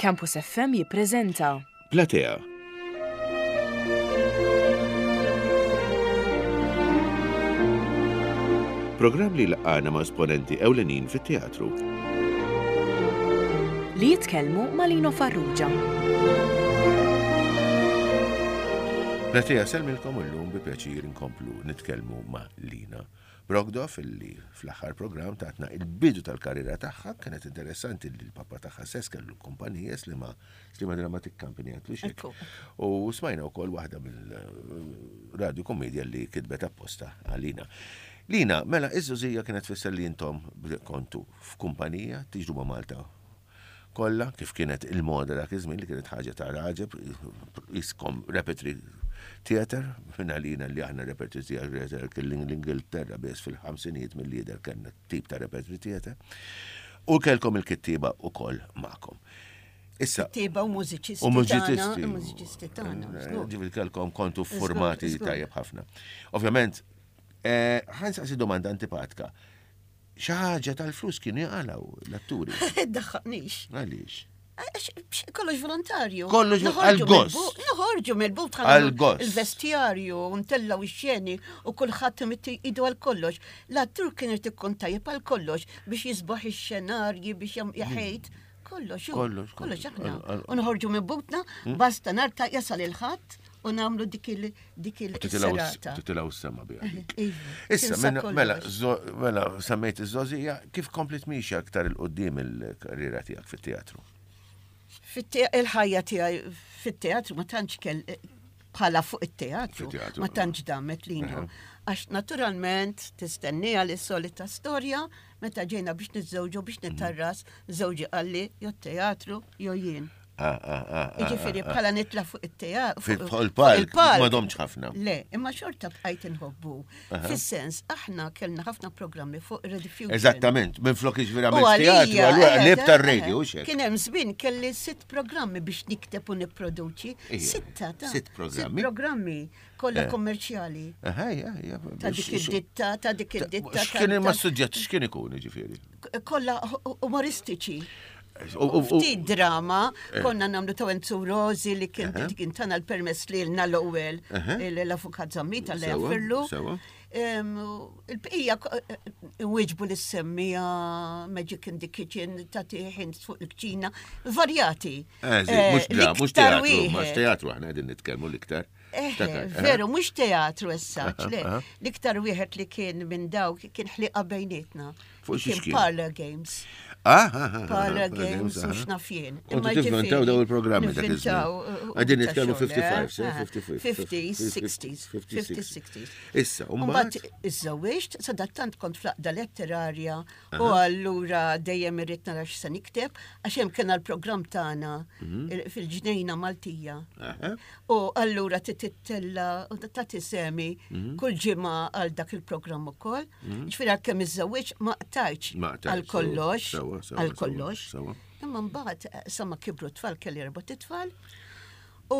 Campus FM jippreżenta. Platea. Programm li jlaqqagħna ma' esponenti ewlenin fit-teatru. Li jitkellmu ma' Lino Farrugia. Platea sellmilkom illum bi pjaċir inkomplu nitkellmu ma' Lina Brogdorf illi fl-aħħar programm tatna il-bidu tal-karriera tagħha, kienet interessanti li l-papa tagħha stess kellu kumpanija Slima Slima Dramatic Company għatlu xek. U smajna wkoll waħda mill-radio komedja li kitbet apposta għalina. Lina, mela iż-żożija kienet tfisser li intom kontu f'kumpanija tiġru ma' Malta kollha, kif kienet il-moda dak iż-żmien li kienet ħaġa ta' raġeb, iskom repertory theater, minn għalina li aħna repertory theater kien l-Ingilterra biss fil-ħamsinijiet mill-lider kellna tip ta' repertory theater. U kellkom il-kittieba ukoll magħkom. Issa. Kittieba u mużiċisti. U mużiċisti. Mużiċisti tagħna. Ġifieri kellkom kontu formati tajjeb ħafna. Ovvjament, eh, ħansaqsi domanda antipatka. Xi ħaġa tal-flus kienu jaqalgħu l-atturi. Daħħaqnix. Għaliex? Kollox volontarju. Kollox għal-gost. Noħorġu mill-but għal-gost. Il-vestjarju, ntellaw ix-xeni u kulħadd imitti idu għal kollox. L-attur kien irid ikun tajjeb għal kollox biex jisbaħ ix-xenarji biex jaħejt. Kollox, kollox, kollox aħna. U noħorġu minn butna, hmm? basta nar ta' jasal il-ħadd u nagħmlu dik il dik il-serata. Titilaw s-sema biha. Iva, Issa, mela, mela, semmejt iż-żożija, kif komplet miexja aktar il-qoddim il-karriera tiegħek fit-teatru? Il-ħajja tiegħi fit-teatru ma tantx kell bħala fuq it-teatru, ma tantx damet lina. Għax naturalment tistennija li solita storja meta ġejna biex niżżewġu biex mhm. nitarras, żewġi qalli jo teatru jo jien. Ah, ah, ah, Ġifieri bħala nitla fuq it-teatru. Fil-palk, ma domx ħafna. Le, imma xorta bqajt inħobbu. Fis-sens, aħna kellna ħafna programmi fuq Rediffusion. Eżattament, minn flok iġvira minn teatru, allura eh, lib eh, tar-radio, eh, Kien hemm żmien kelli sitt programmi biex nikteb u nipproduċi. Sitta ta' Sitt programmi. Sitt programmi kollha kummerċjali. Ta' dik id-ditta, ta' dik id-ditta. X'kien imma suġġett x'kien ikun ġifieri? Kollha umoristiċi. Ftit drama, eh. konna namlu ta' Enzo Rosi li kien kien tana l-permess li l-na l-ewwel l-avukat Zammita li jaffirlu. Il-bqija eh, wieġbu li semmija Magic in the Kitchen ta' tiħin fuq il-kċina, varjati. Eh, mhux teatru, mhux teatru aħna qegħdin nitkellmu l-iktar. Veru, mhux teatru essa, le. L-iktar wieħed li kien minn dawk kien ħliqa bejnietna. Fuq xi Kien Parlor Games. Ah, ah, ah, Parlor Games u x'naf jien. Imma tivventaw daw il-programmi dak iż-żmien. Qegħdin nitkellmu 55, 55. 50s, 60s, 50s, 60s. Issa, u mbagħad iżżewwiġt, sadattant kont fl-aqda letterarja U allura dejjem irrid nara x'se nikteb, għax hemm kien l-programm tagħna mhm. fil-ġnejna Maltija. U allura titittella u tagħti semi mhm. kull ġimgħa għal dak il-programm ukoll. Mhm. Ġifieri għalkemm iżżewwiġ ma qtajtx għal kollox, għal kollox. Imma mbagħad eh, sa ma kibru tfal kelli erba' titfal. U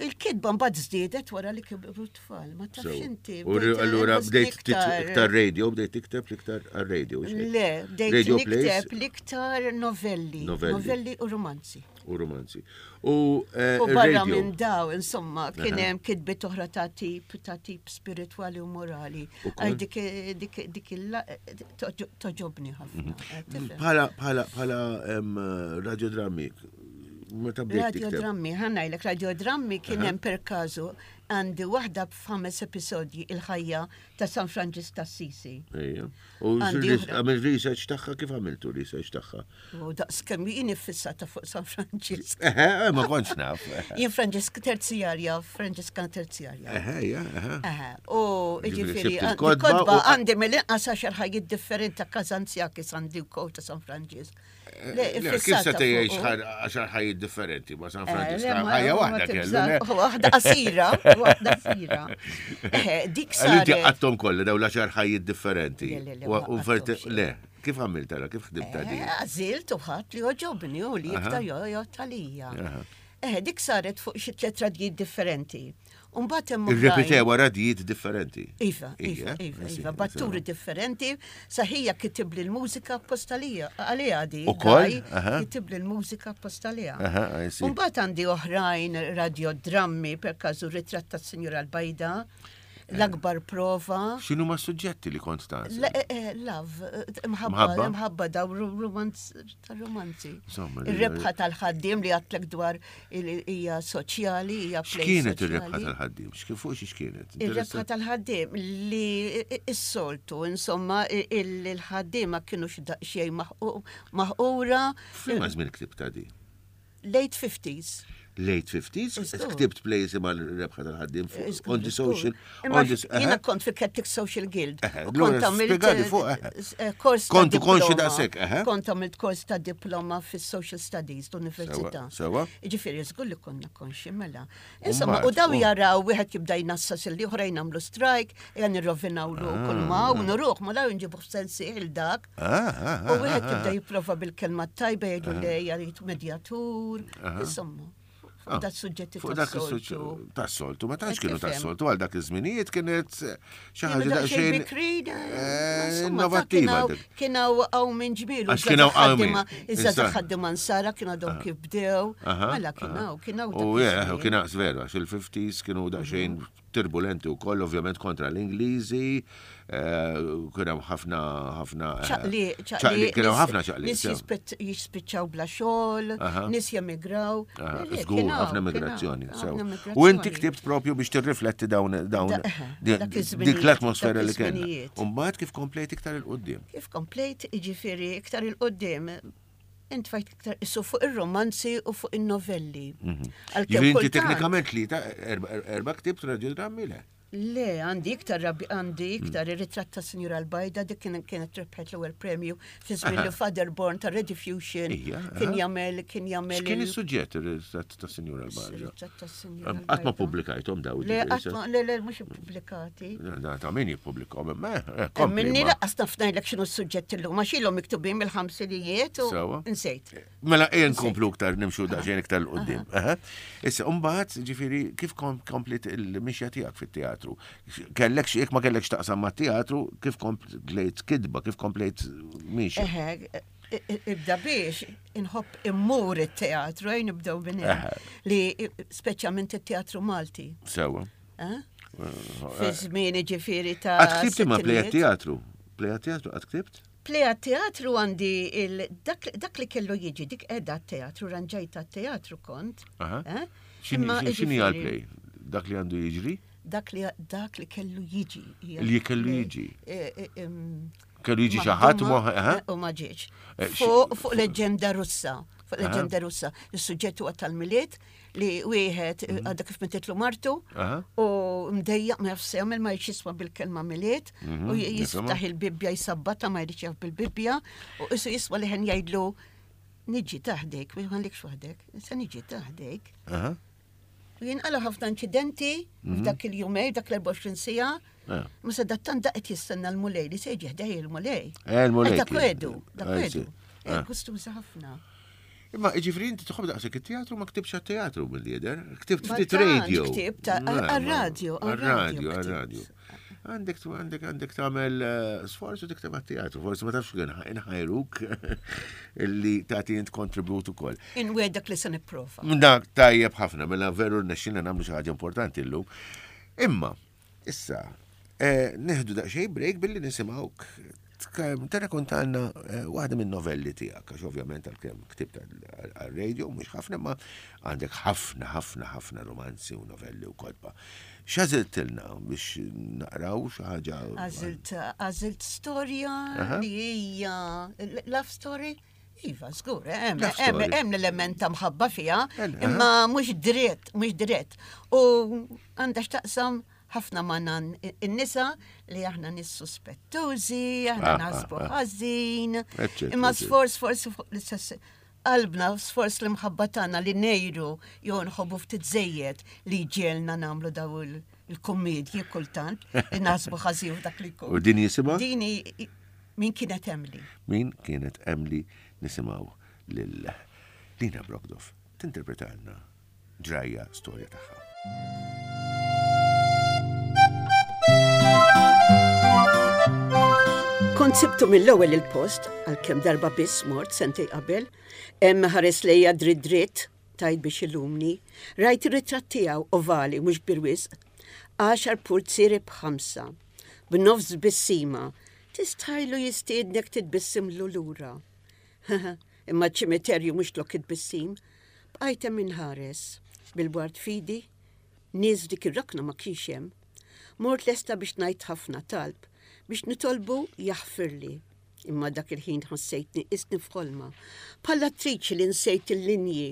il-kitba mbagħad żdiedet wara li kibru tfal, ma tafx inti. U allura bdejt iktar radio, bdejt tikteb l-iktar għal-radio. Le, bdejt nikteb l-iktar novelli, novelli u romanzi. U romanzi. U eh, barra minn daw, insomma, kien hemm kitbiet oħra ta' tip ta' tip spiritwali u morali. Għax dik dik dik toġobni ħafna. Mhm. Bħala bħala bħala radiodrammi Meta bdejt Radio drammi, ħanajlek radio drammi kien hemm per każu għandi waħda b'ħames episodji il-ħajja ta' San Franġis ta' Sisi. Ejja. U għamil research tagħha kif għamiltu research tagħha? U daqs kemm jien iffissata fuq San Franġis. Eħe, eh, ma kontx naf. Jien Franġisk terzjarja, Franġiskan terzjarja. Eħe, ja, eħe. Eħe. U ġifieri kodba għandi mill-inqas għaxar ħajjiet differenti ta' Kazanzjakis għandi wkoll ta' San Franġisk. Le, kif se tgħix għaxar ħajjiet differenti ma' San eh, Franġisk? Ħajja waħda kellu. Waħda qasira, waħda qasira. Eh, dik sa. Inti għattom kollha daw l-għaxar ħajjiet differenti. Le, kif għamilt għala, kif ħdimt eh, di? Għażilt u ħadd li oġobni u li iktar joqgħod għalija. Eh, dik saret fuq xi tliet radjiet differenti. Mbagħad hemm Irrepetew radijiet differenti. Iva, iva, iva, iva, batturi differenti, saħija kitibli l-mużika appostalija, għalija di. Ukoll? Kitibli l-mużika appostalija. Mbagħad għandi oħrajn radiodrammi per każu ritratt tas-Sinjura l-Bajda l-akbar prova. X'inhu ma suġġetti li kont ta' eh, eh, Love, eh, mħabba, mħabba daw romanz romanzi. Ir-rebħa tal-ħaddiem li għatlek dwar hija soċjali, hija X'kienet ir-rebħa tal-ħaddiem? X'kien fuq xi x'kienet? Ir-rebħa tal-ħaddiem li s-soltu, insomma, il-ħaddiema kienu xejn maħqura. F'liema żmien ktibta di? Late 50s. Late 50s, ktibt plays imma l-rebħa tal-ħaddim on the social. Jiena kont fil-Celtic Social Guild. Kont għamilt eh, kors. Kontu konxi daqshekk, Kont għamilt kors ta' diploma fis-Social Studies l-Università. Sewa. Ġifieri żgur li konna konxi mela. Insomma, u daw jaraw wieħed jibda jnassas il oħra jnamlu strajk, jan nirrovinaw lu kull ma u nuruh ma daw nġibu f'sensi il dak. U wieħed jibda jipprova bil-kelma tajba jgħidu le jgħid medjatur, insomma. Fuq dak suġġetti Fuq dak tas-soltu. Tas-soltu, ma tantx kienu tas-soltu għal dak iż-żminijiet kienet xi ħaġa daqsxejn bikrin, eh, innovattiva. Kien hawn minn ġmielu. Għax kien hawn hawn min. Iżda ħaddiema nsara kienu għadhom kif bdew. Mela kien hawn, kien hawn. U kien hawn veru għax il-50s kienu daqsxejn turbulenti wkoll ovvjament kontra l-Ingliżi, eh, kien hemm ħafna ħafna eh, ċaqli, ċaqli, kien hemm ħafna ċaqli. Nies jispiċċaw bla xogħol, nies jemigraw. Żgur ħafna migrazzjoni. U inti ktibt propju biex tirrifletti dawn dawn dik l-atmosfera li kellna. U mbagħad kif komplejt iktar il-qudiem? Kif komplejt, jiġifieri iktar il-qudiem intfajt iktar issu fuq ir-romanzi u fuq in-novelli. Mhm. Għalkemm inti teknikament li ta' erba' ktibt radiodrammi le? Le, għandi iktar rabbi għandi iktar mm. ir-ritratt ta' Sinjura Albajda dik kienet rebħet l-ewwel premju fi żmien li Father Born ta' Rediffusion kien jagħmel kien jagħmel. Kien is-suġġett ir-ritratt ta' Sinjura Albajda? Ritratt ta' Sinjura Qatt ma pubblikajthom daw. Le, qatt ma le le mhux ippubblikati. Ta' min jippubblikhom, imma eh, kompli. Minni laqqas naf ngħidlek x'inhu s-suġġett illum għax ilhom miktubin mill-ħamsinijiet u nsejt. Mela ejja nkomplu iktar nimxu daqsxejn iktar 'l quddiem. Issa mbagħad ġifieri kif komplit il-mixja tiegħek fit-teatru? Kellek xi ma kellekx taqsam mat-teatru, kif komplejt kitba, kif komplejt mixja? Eħe, ibda biex inħobb immur it-teatru, ejn nibdew minn li speċjalment it-teatru Malti. Sewa. Eh? Fi żmien ġifieri ta' Għad ktibt imma pleja teatru. Pleja teatru għad ktibt? Pleja teatru għandi dak li kellu jiġi dik qiegħda teatru ranġajta teatru kont. Eh? X'inhi għal-play? Dak li għandu jiġri? Dak li dak li kellu jiġi. Li kellu jiġi. Eh, kellu jiġi xi ħadd u ma ġiex. Fuq leġenda Russa, fuq leġenda Russa, is-suġġett huwa tal-Milied li wieħed mhm. għadha kif mititlu martu u mdejjaq ma jafx jagħmel ma jridx jisma' bil-kelma milied mhm, u jiftaħ il-Bibbja jisabbata ma jridx jaf bil-Bibbja u isu jisma' li ħen jgħidlu niġi taħdejk, ma jħallikx waħdek, se niġi taħdejk. U jinqala ħafna inċidenti mhm. f'dak il-jumej, dak l-24 sija. Eh. Ma se dattan daqet jistenna l-mulej li se jiġi ħdej il-mulej. Eh, il-mulej. Dak wedu, dak wedu. Eh, gustuża ħafna. Imma ġifri inti tħobb daqshekk it-teatru ma ktibx għat-teatru mill-lider, ktibt ftit radio. Ktibt għar-radio, għar-radio, għar-radio. Għandek għandek għandek tagħmel eh, sforz u tikteb għat-teatru, forsi ma tafx kien inħajruk illi tagħti int kontribut ukoll. Inwedek li se nipprova. Dak tajjeb ħafna, mela veru rnexxilna nagħmlu xi ħaġa importanti llum. Imma, Issa, eh, neħdu daqsxejn break billi nisimgħuk Terrakontanna eh, waħda minn novelli tiegħek, għax ovvjament għalkemm ktibt għal-radio, mhux ħafna, ma għandek ħafna, ħafna, ħafna romanzi u novelli u kotba. X'għażiltilna biex naqraw xi ħaġa? Għażilt għażilt storja li hija love story? Iva, żgur, eh, hemm l-element ta' mħabba fiha, imma mhux dritt, mhux dritt. U għandha x'taqsam ħafna ma' nan in-nisa li aħna nis suspettużi, aħna ah, naħsbu ah, ah. ħażin, imma sforz forsi fuq l-istess qalbna sforz l-imħabba tagħna li nejru jew nħobbu ftit żejjed li ġielna nagħmlu daw il-kummedji kultant li naħsbu ħażin dak li jkun. U din jisimha? Din min kienet Emily. Min kienet Emily nisimgħu lil Lina Brogdorf tinterpretalna ġrajja storja tagħha. Kont sibtu mill-ewwel il-post, għalkemm darba biss mort sentej qabel, hemm ħares lejja dritt dritt, tajt biex ilumni. Rajt ir-ritratt tiegħu ovali mhux kbir wisq. Għaxar pulzieri b'ħamsa. B'nofs tbissima. Tistħajlu jistiednek titbissimlu lura. Imma ċ-ċimiterju mhux lok it-tbissim. Bqajt hemm inħares. Bil-ward f'idi. Nies f'dik ir-rokna ma kienx hemm. Mort lesta biex ngħid ħafna talb, biex nitolbu jaħfirli. Imma dak il-ħin ħassejtni qisni f'ħolma, bħall-attriċi li nsejt il-linji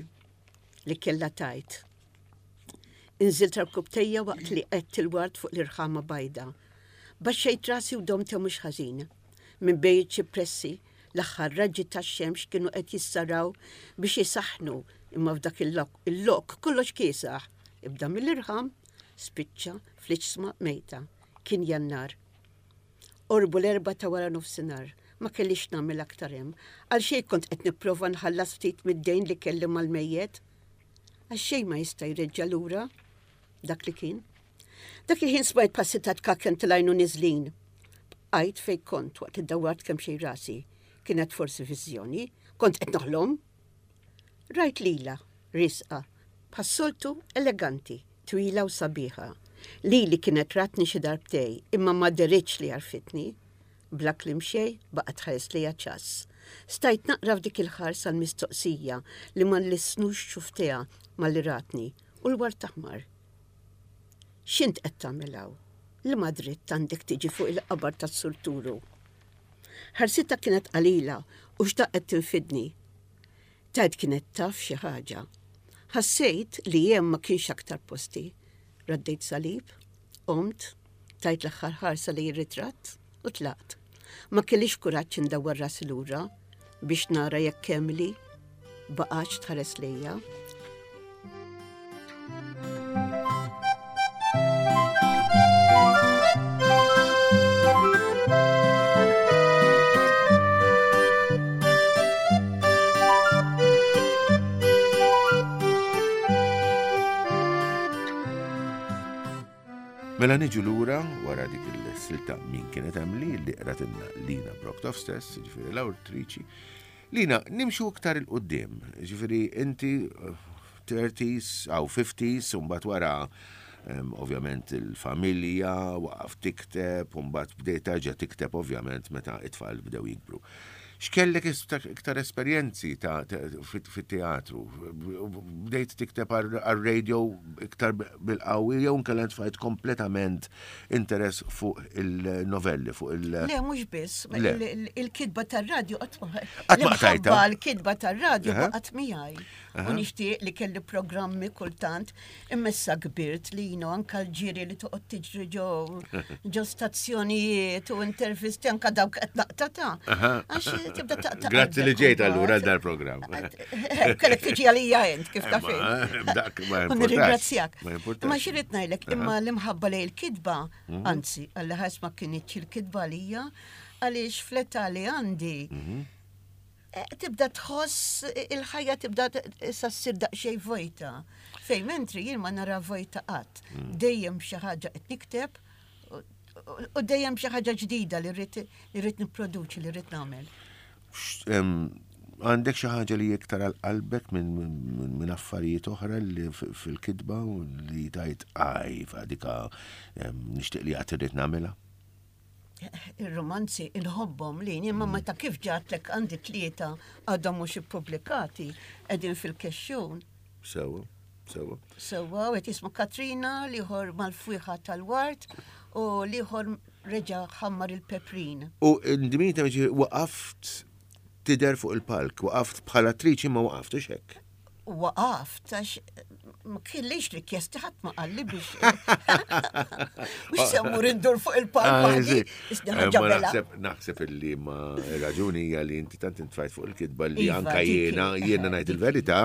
li kellha tgħid. Inżilt rkubtejja waqt li qgħedt il-ward fuq l-irħama bajda. Baxxejt rasi u domt hemm mhux ħażin. Minn bejn iċ-ċipressi, l-aħħar raġġi tax-xemx kienu qed jissaraw biex isaħħnu, imma f'dak il-lok kollox kiesaħ. Ibda mill-irħam, spiċċa fl-iġsma mejta. Kien Jannar. Qorbu l-erbgħa ta' wara nofsinhar. Ma kellix x'nagħmel aktar hemm. Għalxejn kont qed nipprova nħallas ftit mid-dejn li kelli mal-mejjet. Għax xejn ma jista' jreġġa' lura dak li kien. Dak il-ħin smajt passi ta' tkakken tilgħin u niżlin. Bqajt fejn kont waqt li dawwart kemxejn rasi. Kienet forsi viżjoni? Kont qed noħlom? Rajt lilha, riesqa, bħas-soltu eleganti, twila u sabiħa. Lili kienet ratni xi darbtej, imma ma deritx li għarfitni. Bla kliem xejn, baqgħet tħares lejja ċass. Stajt naqra f'dik il-ħarsa l-mistoqsija li ma nlissnux xufftejha malli ratni, u l-ward aħmar. X'int qed tagħmel hawn? Liema dritt għandek tiġi fuq il-qabar tas-Sur Turu? Ħarsitha kienet qalila u xtaqet tinfidni. Tgħid kienet taf xi ħaġa. Ħassejt li hemm ma kienx aktar posti. Raddejt salib, qomt, tajt l-aħħar ħarsa lejn ir-ritratt u tlaqt. Ma kellix kuraġġ indawwar rasi lura biex nara jekk Emily baqgħetx tħares lejja. Mela niġu lura wara dik il-silta min kienet Emily li qratilna Lina Brocktoff stess, ġifieri l-awtriċi. Lina, nimxu iktar il-qudiem, ġifieri inti 30s aw 50s, u mbagħad wara ovvjament il-familja, waqaf tikteb, u mbagħad bdejt terġa' tikteb ovvjament meta it-tfal bdew jikbru. X'kellek iktar esperjenzi ta' fit-teatru? Bdejt tikteb għar-radio iktar bil-qawwi jew inkella tfajt kompletament interess fuq il-novelli, fuq il- Le, mhux biss. Il-kitba tar-radio qatt ma. Qatt ma qtajtha. Il-kitba tar-radio baqgħet miegħi. U nixtieq li kelli programmi kultant, imma issa kbirt li jino anka l-ġiri li toqgħod tiġri ġo ġo stazzjonijiet u intervisti anka dawk qed naqta ta' għax tibda taqta'. Grazzi li ġejt allura dal programm. Kellek tiġi għalija int kif taf Dak ma U nirringrazzjak. Ma xirrid ngħidlek imma l-imħabba lejn il-kitba, mhm. anzi, għalli ħares ma kinitx il-kitba għalija, għaliex fl-età li għandi mhm. Eh, tibda tħoss il-ħajja tibda issa ssir daqsxejn vojta. Fejn mentri jien ma nara vojta qatt. Mm. Dejjem xi ħaġa qed nikteb u dejjem xi ħaġa ġdida li rrid nipproduċi li rrid nagħmel. Għandek xi ħaġa li iktar għal qalbek minn affarijiet oħra li fil-kitba u li tajt għaj f'għadika nixtieq li għad irrid nagħmilha? Ir-romanzi inħobbhom li imma mm. meta kif ġatlek għandi tlieta għadhom mhux ippubblikati qegħdin fil-kexxun. Sewa, sewa. Sewa, u qed jismu Katrina, liħor mal-fwieħa tal-wart u liħor reġa' ħammar il-peprin. U ndmita waqaft tidher fuq il-palk, waqaft bħala attriċi ma waqaft, hekk? Waqaft, għax ma kellix rikjesti ħadd ma qalli biex. Mhux se mmur indur fuq il-palk ah, waħdi. Eh, naħseb illi ma raġuni hija li inti tant intfajt fuq il-kitba li iva, anka jiena jiena ngħid il-verità,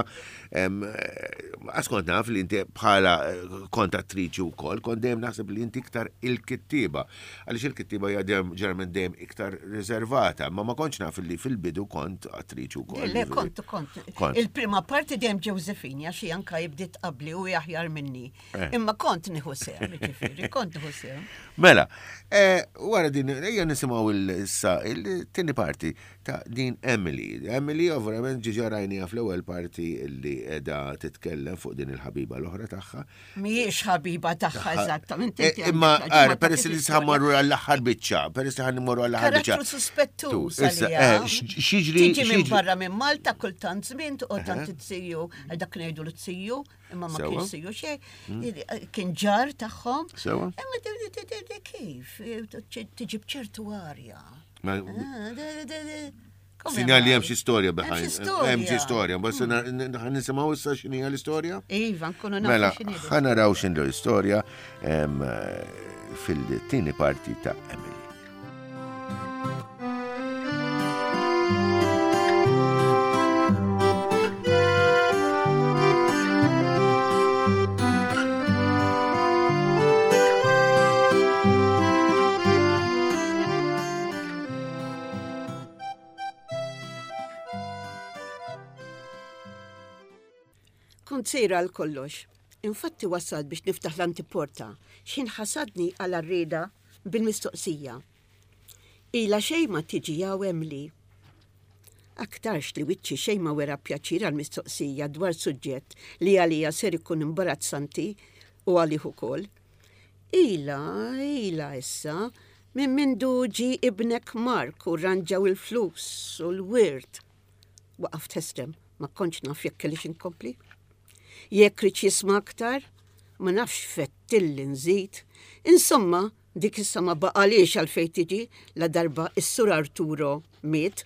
għax kont naf li inti bħala eh, kont attriċi wkoll, kont dejjem naħseb li inti iktar il-kittieba. Għaliex il-kittieba hija ġeneralment dejjem iktar riservata, ma ma kontx naf li fil-bidu kont attriċi wkoll. Le, kont, kont. Il-prima parti dejjem Josephine, għax hi anka jibdiet qabli u aħjar minni. Eh. Imma kont nieħu sehem, ġifieri, kont nieħu sehem. Mela, Eh, wara din, ejja nisimgħu issa il-tieni parti ta' din Emily. Emily ovvjament ġiġa rajnija fl-ewwel parti li qiegħda titkellem fuq din il-ħabiba l-oħra tagħha. Mhijiex ħabiba tagħha eżattament. Eh, imma ara, peress li ħammorru għall-aħħar biċċa, peress li ħammorru għall-aħħar biċċa. Karattru suspettuż. Eh, x'jiġri? Tiġi minn barra minn Malta kultant żmien toqgħod tant it-siju, dak ngħidu l-siju, imma ma kienx siju xejn, mm. kien ġar tagħhom. Sewa. Imma kif tiġi b'ċertu arja. Ah, Sinjal li hemm xi storja behind. Hemm xi storja, bas mm. nisimgħu issa x'inhi l-istorja? Iva, nkunu nafu Mela, ħa naraw x'inhu l-istorja fil-tieni parti ta' Emily. Kont sejra għal kollox. Infatti wasalt biex niftaħ l-antiporta, x'ħin ħasadni għal arrieda bil-mistoqsija. Ilha xejn ma tiġi hawn Emily. Aktarx li wiċċi xejn ma wera pjaċir għall-mistoqsija dwar suġġett li għalija ser ikun imbarazzanti u għalih ukoll. Ilha, ilha issa, minn mindu ġie ibnek Mark u rranġaw il-flus u l-wirt. Waqaft ħesrem, ma kontx naf jekk kellix inkompli. Jekk riedx jisma' aktar, ma nafx fettilli nżid. Insomma, dik issa ma baqalhiex għalfejn tiġi ladarba s-Sur Arturo miet.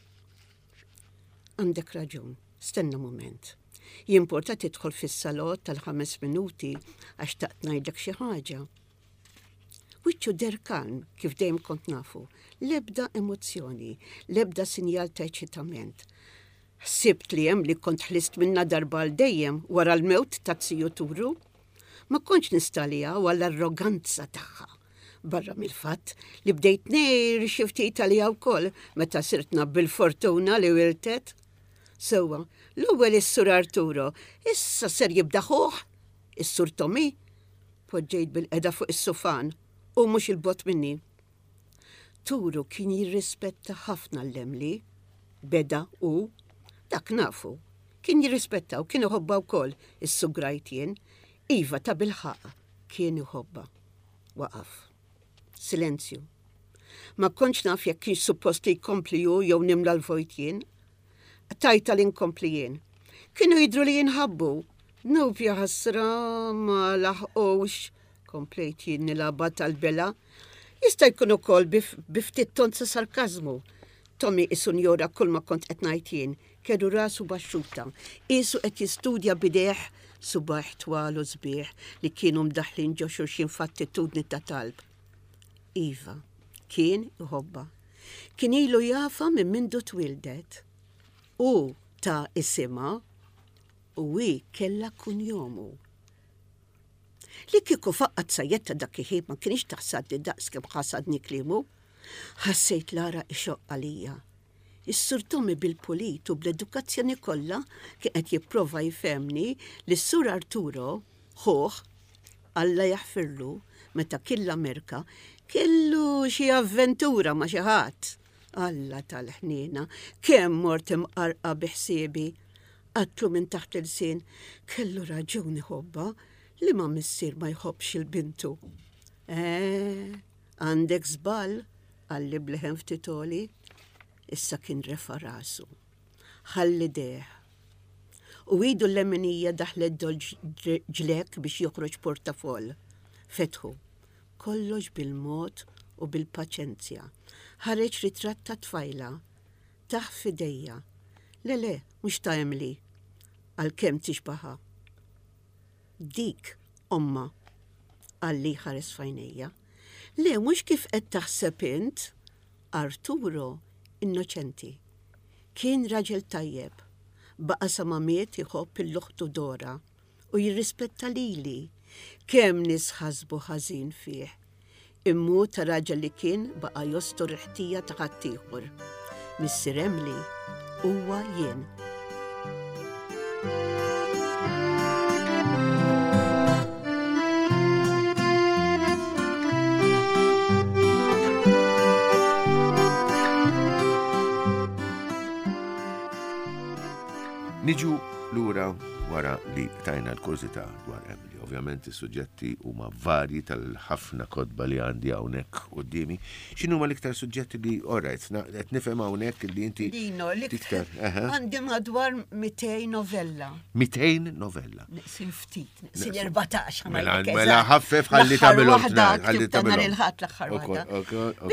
Għandek raġun, stenna mument. Jimporta tidħol fis-salott tal-ħames minuti għax xtaqt ngħidlek xi ħaġa. Wiċċu deher kalm kif dejjem kont nafu, l-ebda emozzjoni, l-ebda sinjal ta' eċitament. Ħsibt li hemm li kont ħlist minnha darba għal dejjem wara l-mewt ta' ziju Turu. Ma kontx nista' għaliha u għall-arroganza tagħha. Barra mill-fatt li bdejt ngħir xi ftit għaliha wkoll meta sirt naf bil-fortuna li wirtet. Sewwa, l-ewwel is-Sur Arturo, issa ser jibda ħuh, is-Sur Tommy. Poġġejt bilqiegħda fuq is-sufan u mhux 'il bogħod minni. Turu kien jirrispetta ħafna l-Emily. Beda hu. Dak nafu. Kien jirrispetta u kien iħobbha wkoll, issugrajt jien. Iva, tabilħaqq, kien iħobbha. Waqaf. Silenzju. Ma kontx naf jekk kienx suppost li jkompli hu jew nimla l-vojt jien. Qtajtha li nkompli jien. Kienu jidhru li jinħabbu. Dnub jaħasra ma laħqux, komplejt jien nilgħabha tal-bela. Jista' jkun ukoll bi ftit ton ta' sarkażmu. Tommy qisu njora kulma kont qed ngħid jien, kellu rasu baxxuta, qiesu qed jistudja b'idejh subgħajh twal u sbieħ li kienu mdaħħlin ġo xulxin f'attitudni ta' talb. Iva, kien iħobbha. Kien ilu jafha minn mindu twieldet. Hu ta isimha u hi kellha kunjomu. Li kieku faqqgħet sajjetta dak il-ħin ma kinitx taħsadni daqs kemm ħasadni kliemu. Ħassejt l-għaraq ixoqq għalija. Is-Sur Tommy bil-pulit u bl-edukazzjoni kollha kien qed jipprova jfehmni li s-Sur Arturo, ħuh, Alla jaħfirlu, meta kien l-Amerka, kellu xi avventura ma' xi ħadd. Alla tal-ħniena, kemm mort imqarrqa bi ħsiebi! Għadtlu minn taħt l-ilsien, kellu raġun iħobbha, liema missier ma jħobbx 'il bintu? Eh, għandek żball, qalli b'leħen ftit għoli. Issa kien refa' rasu. Ħall idejh. U idu l-leminija daħlet dol ġlekk biex joħroġ portafoll. Fetħu. Kollox bil-mod u bil-paċenzja. Ħareġ ritratt ta' tfajla. Tah f'idejja. Le, le, mhux ta' Emily. Għalkemm tixbaha. Dik ommha, qalli jħares f'għajnejja. Le, mhux kif qed taħseb int. Arturo innoċenti. Kien raġel tajjeb. Baqa' sa ma miet iħobb 'il uħtu Dora u jirrispetta lili. Kemm nies ħasbu ħażin fih. Imma hu ta' raġel li kien baqa' jostor il-ħtija ta' ħaddieħor. Missier Emily huwa jien. Niġu lura wara li tajna l-kurżità dwar Emily. Ovvjament is-suġġetti huma varji tal-ħafna kotba li għandi hawnhekk quddiemi. X'inhuma l-iktar suġġetti li alright, qed nifhem hawnhekk li inti Lino, l-iktar għandi madwar 200 novella. 200 novella. Neqsin ftit, neqsin 14. Mela, mela ħaffef ħalli tagħmilhom ħalli tagħmilhom. Il-ħadd l-aħħar waħda.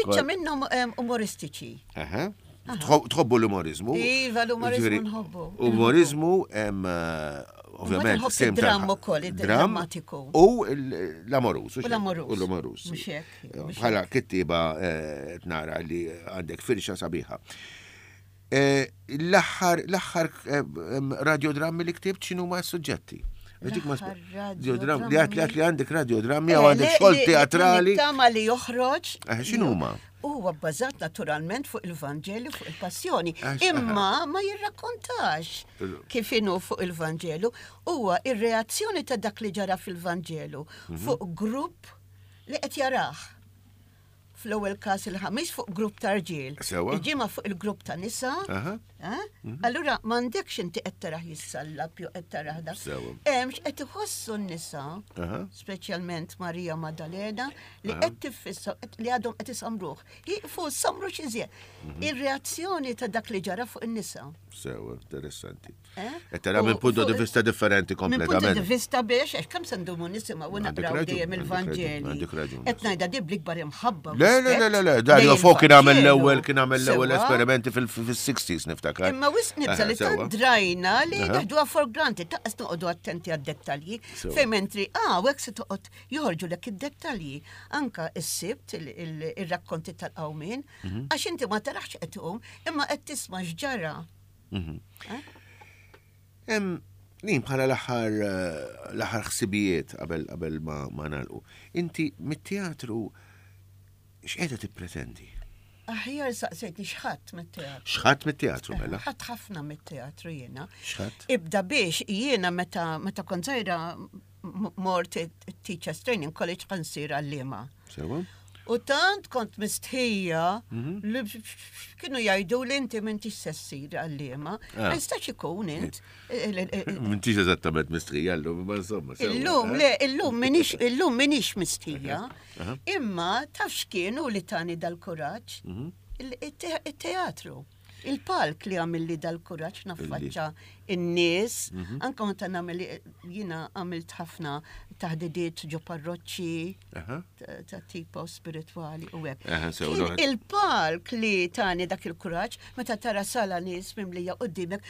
Biċċa minnhom umoristiċi. Tħobbu l-umorizmu. Iva, l-umorizmu nħobbu. Umorizmu, eh, ovvjament. Sem dram ukoll, drammatiku. U l-amorus. U l-amorus. U l-amorus. Bħala kittiba eh, nara li għandek firxa sabiħa. Eh, l-aħħar l-aħħar radiodrammi li ktibt x'inhuma s-suġġetti? Radiodrammi. Li għat li għandek radiodrammi għaw għandek xogħol teatrali. Tama li joħroġ. X'inhuma? Huwa bbażat naturalment fuq il-Vanġelu, fuq il-Passjoni, imma ma jirrakkontax kif inhu fuq il-Vanġelu. Huwa ir-reazzjoni ta' dak li ġara fil-Vanġelu mhm. fuq grupp li qed jarah. Fl-ewwel każ il-ħamis fuq grupp ta' rġiel. Il-ġimgħa fuq il-grupp ta' nisa. Eh? Mhm. Allura m'għandekx inti qed tarah jissallab jew qed tarah da. Hemm x'qed iħossu n-nisa, speċjalment Marija Maddalena, li qed tiffissa li għadhom qed isamruh. Jiqfu samru xi mhm. Ir-reazzjoni ta' dak li ġara fuq in-nisa. Sewa, interessanti. Eh? Qed tara minn punto di vista differenti kompletament. Minn punto di vista biex, għax kemm se ndumu nisimgħu u naqraw dejjem il-Vanġeli. Qed ngħidha di bl-ikbar imħabba. Le, le, le, le, le, Dario Fo kien għamel l-ewwel kien għamel l-ewwel esperimenti fil-60s niftakar. Imma wisq nibża li tant drajna li neħduha for granted, taqqas noqogħdu attenti għad-dettalji. Fejn mentri, ah, hekk se toqgħod joħorġulek id-dettalji. Anka s-sibt ir-rakkonti tal-qawmien, mhm. għax inti ma tarax qed imma qed tisma' x'ġara. Mhm. Eh? Nin bħala l-aħħar eh, l-aħħar ħsibijiet qabel qabel ma, ma nagħlqu. Inti mit-teatru x'qiegħda tippretendi? Aħjar saqsejtni x'ħadd mit-teatru. X'ħadd mit-teatru eh, mela? Ħadd ħafna mit-teatru jiena. X'ħadd? Ibda biex jiena meta meta kont żgħira mort Teachers Training College ħansir għallima. Sewa. U tant kont mistħija mhm. li kienu jgħidu li inti m'intix se ssir għalliema. Ah. Ma jistax ikun int. Eh, eh, eh, m'intix eżattament mistħija llum, ma insomma. Illum, le, illum minix, illum minix mistħija. Imma taf x'kienu li tani dal-kuraġġ? Mhm. Il-teatru. Il-palk li għamilli dal-kuraġġ naffaċċa in-nies, mhm. anka meta nagħmel jiena għamilt ħafna taħdidiet ġo parroċċi ta' tipo spiritwali u hekk. Il-palk li tani dak il-kuraġġ meta tara sala nies mimlija qudiemek,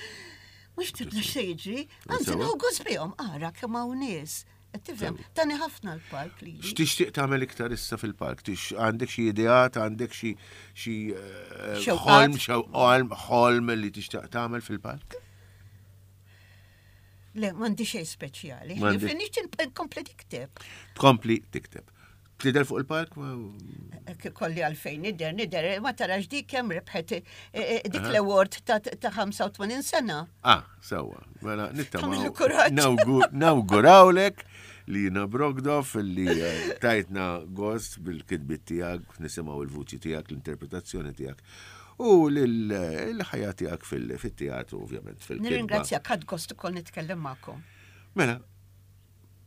mhux tibda se jiġri, anzi nieħu gost bihom ara kemm hawn nies. Tifhem, tani ħafna l-park li. X'tixtieq tagħmel iktar issa fil-park? Għandek xi ideat, għandek xi xi eh, ħolm, ħolm, ħolm li tixtieq tagħmel fil-park? Le, m'għandi xejn speċjali. Nixtieq nkompli tikteb. Tkompli tikteb. Tidher fuq il-park? Kolli għalfejn nidher, nidher, ma tarax dik kemm rebħet eh, eh, dik l-award ta' 85 sena. Ah, sewwa. Mela nittama. Nawgurawlek li jina Brogdov li eh, tajtna gost bil-kitbit tiegħek, nisimgħu il-vuċi tiegħek, l-interpretazzjoni tiegħek u l-ħajja tiegħek fil-teatru ovvjament fil-kitba. Nirringrazzjak ħadd gost ukoll nitkellem magħkom. Mela,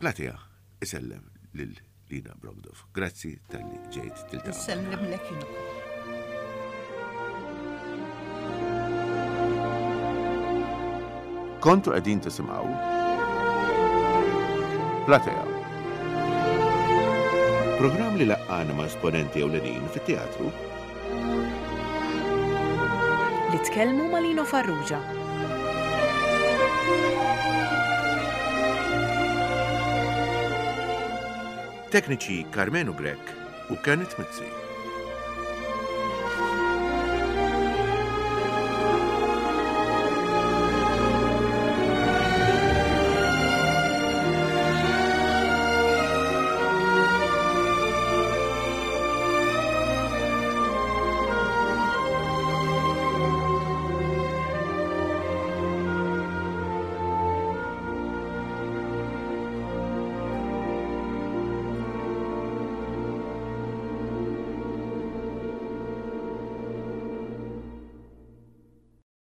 platea isellem lil Lina Brogdov. Grazzi talli ġejt tiltaqa'. Nsellimlek jien ukoll. Kontu qegħdin tisimgħu Platea. Programm li laqqana ma' esponenti ewlenin fit-teatru. Li tkellmu ma' Lino Farrugia. Tekniċi Karmenu Grech u Kenneth Mizzi.